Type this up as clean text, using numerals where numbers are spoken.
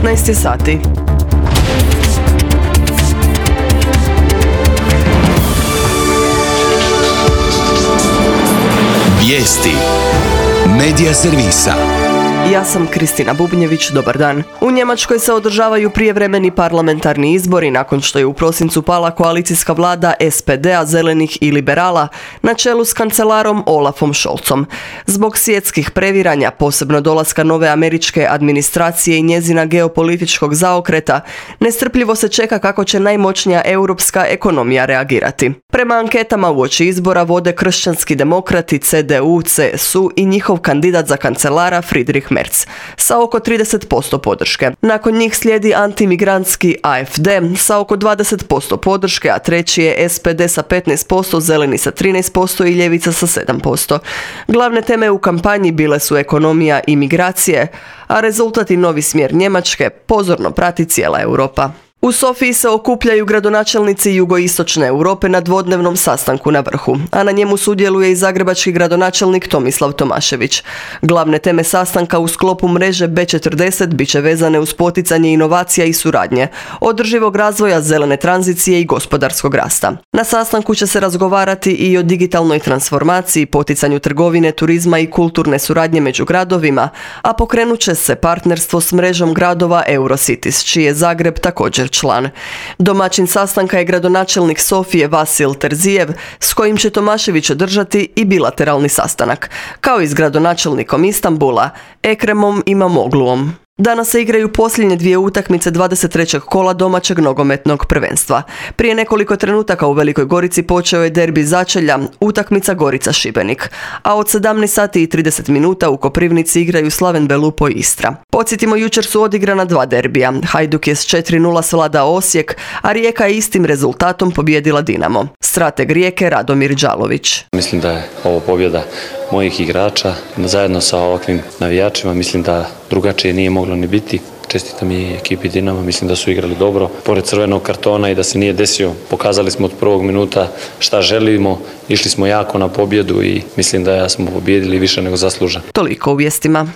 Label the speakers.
Speaker 1: 15 sati.
Speaker 2: Vijesti Medija servisa.
Speaker 1: Ja sam Kristina Bubnjević, dobar dan. U Njemačkoj se održavaju prijevremeni parlamentarni izbori nakon što je u prosincu pala koalicijska vlada SPD-a, zelenih i liberala na čelu s kancelarom Olafom Scholzom. Zbog svjetskih previranja, posebno dolaska nove američke administracije i njezina geopolitičkog zaokreta, nestrpljivo se čeka kako će najmoćnija europska ekonomija reagirati. Prema anketama uoči izbora vode kršćanski demokrati, CDU, CSU i njihov kandidat za kancelara Friedrich Merz sa oko 30% podrške. Nakon njih slijedi antimigrantski AfD sa oko 20% podrške, a treći je SPD sa 15%, zeleni sa 13% i ljevica sa 7%. Glavne teme u kampanji bile su ekonomija i migracije, a rezultat i novi smjer Njemačke pozorno prati cijela Europa. U Sofiji se okupljaju gradonačelnici jugoistočne Europe na dvodnevnom sastanku na vrhu, a na njemu sudjeluje i zagrebački gradonačelnik Tomislav Tomašević. Glavne teme sastanka u sklopu mreže B40 bit će vezane uz poticanje inovacija i suradnje, održivog razvoja, zelene tranzicije i gospodarskog rasta. Na sastanku će se razgovarati i o digitalnoj transformaciji, poticanju trgovine, turizma i kulturne suradnje među gradovima, a pokrenut će se partnerstvo s mrežom gradova Eurocities, čiji je Zagreb također član. Domaćin sastanka je gradonačelnik Sofije Vasil Terzijev, s kojim će Tomašević održati i bilateralni sastanak, kao i s gradonačelnikom Istanbula, Ekremom Imamogluom. Danas se igraju posljednje dvije utakmice 23. kola domaćeg nogometnog prvenstva. Prije nekoliko trenutaka u Velikoj Gorici počeo je derbi začelja, utakmica Gorica-Šibenik, a od 17 sati i 30 minuta u Koprivnici igraju Slaven Belupo i Istra. Podsjetimo, jučer su odigrana dva derbija. Hajduk je s 4:0 svladao Osijek, a Rijeka je istim rezultatom pobijedila Dinamo. Strateg Rijeke Radomir Đalović.
Speaker 3: Mislim da je ovo pobjeda mojih igrača, zajedno sa ovakvim navijačima, mislim da drugačije nije moglo ni biti. Čestitam i ekipi Dinama, mislim da su igrali dobro, pored crvenog kartona, i da se nije desio. Pokazali smo od prvog minuta šta želimo, išli smo jako na pobjedu i mislim da smo pobijedili više nego zasluženo.
Speaker 1: Toliko u vijestima.